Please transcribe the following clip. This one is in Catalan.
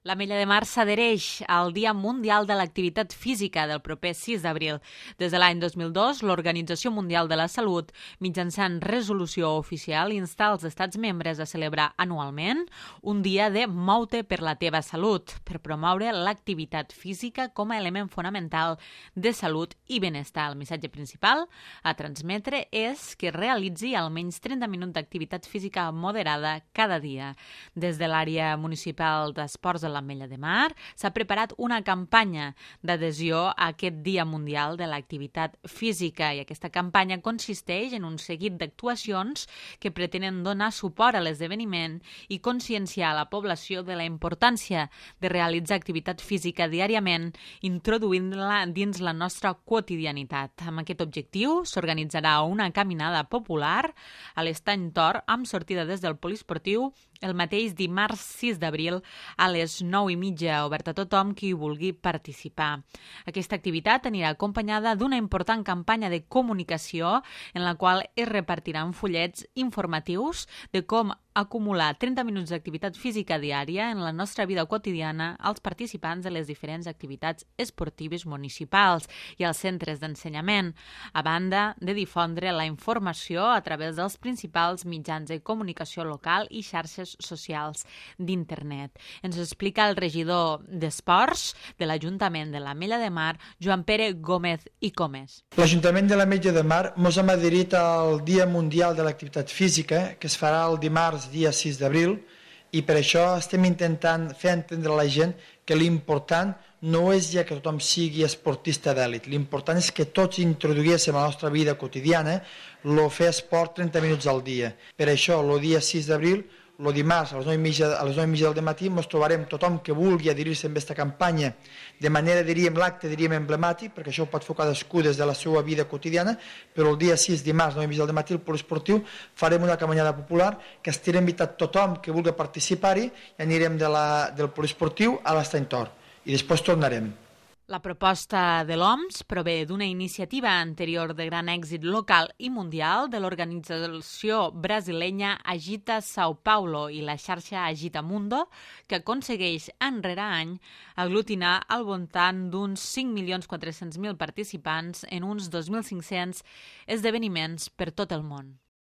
L'Ametlla de Mar s'adhereix al Dia Mundial de l'Activitat Física del proper 6 d'abril. Des de l'any 2002, l'Organització Mundial de la Salut, mitjançant resolució oficial, insta els estats membres a celebrar anualment un dia de Mou-te per la teva salut, per promoure l'activitat física com a element fonamental de salut i benestar. El missatge principal a transmetre és que realitzi almenys 30 minuts d'activitat física moderada cada dia. Des de l'àrea municipal d'esports de l'Ametlla de Mar s'ha preparat una campanya d'adhesió a aquest Dia Mundial de l'Activitat Física i aquesta campanya consisteix en un seguit d'actuacions que pretenen donar suport a l'esdeveniment i conscienciar a la població de la importància de realitzar activitat física diàriament, introduint-la dins la nostra quotidianitat. Amb aquest objectiu s'organitzarà una caminada popular a l'Estany Tor amb sortida des del poliesportiu el mateix dimarts 6 d'abril a les 9:30, obert a tothom qui vulgui participar. Aquesta activitat anirà acompanyada d'una important campanya de comunicació en la qual es repartiran fullets informatius de com acumular 30 minuts d'activitat física diària en la nostra vida quotidiana als participants de les diferents activitats esportives municipals i als centres d'ensenyament, a banda de difondre la informació a través dels principals mitjans de comunicació local i xarxes socials d'internet. Ens ho explica el regidor d'Esports de l'Ajuntament de l'Ametlla de Mar, Joan Pere Gómez i Comes. L'Ajuntament de l'Ametlla de Mar ens hem adherit al Dia Mundial de l'Activitat Física, que es farà el dimarts dia 6 d'abril, i per això estem intentant fer entendre a la gent que l'important no és ja que tothom sigui esportista d'èlit, l'important és que tots introduguéssim a la nostra vida quotidiana el fer esport 30 minuts al dia. Per això, el dia 6 d'abril, el dimarts a les 9:30 del matí ens trobarem tothom que vulgui adherir-se a aquesta campanya de manera, l'acte emblemàtic, perquè això ho pot fer cadascú des de la seva vida quotidiana, però el dia 6, dimarts, 9:30 del matí, al poliesportiu, farem una caminada popular que estirem invitat tothom que vulgui participar-hi i anirem del poliesportiu a l'Estany Tor i després tornarem. La proposta de l'OMS prové d'una iniciativa anterior de gran èxit local i mundial de l'organització brasilenya Agita São Paulo i la xarxa Agita Mundo, que aconsegueix any rere any aglutinar al voltant d'uns 5.400.000 participants en uns 2.500 esdeveniments per tot el món.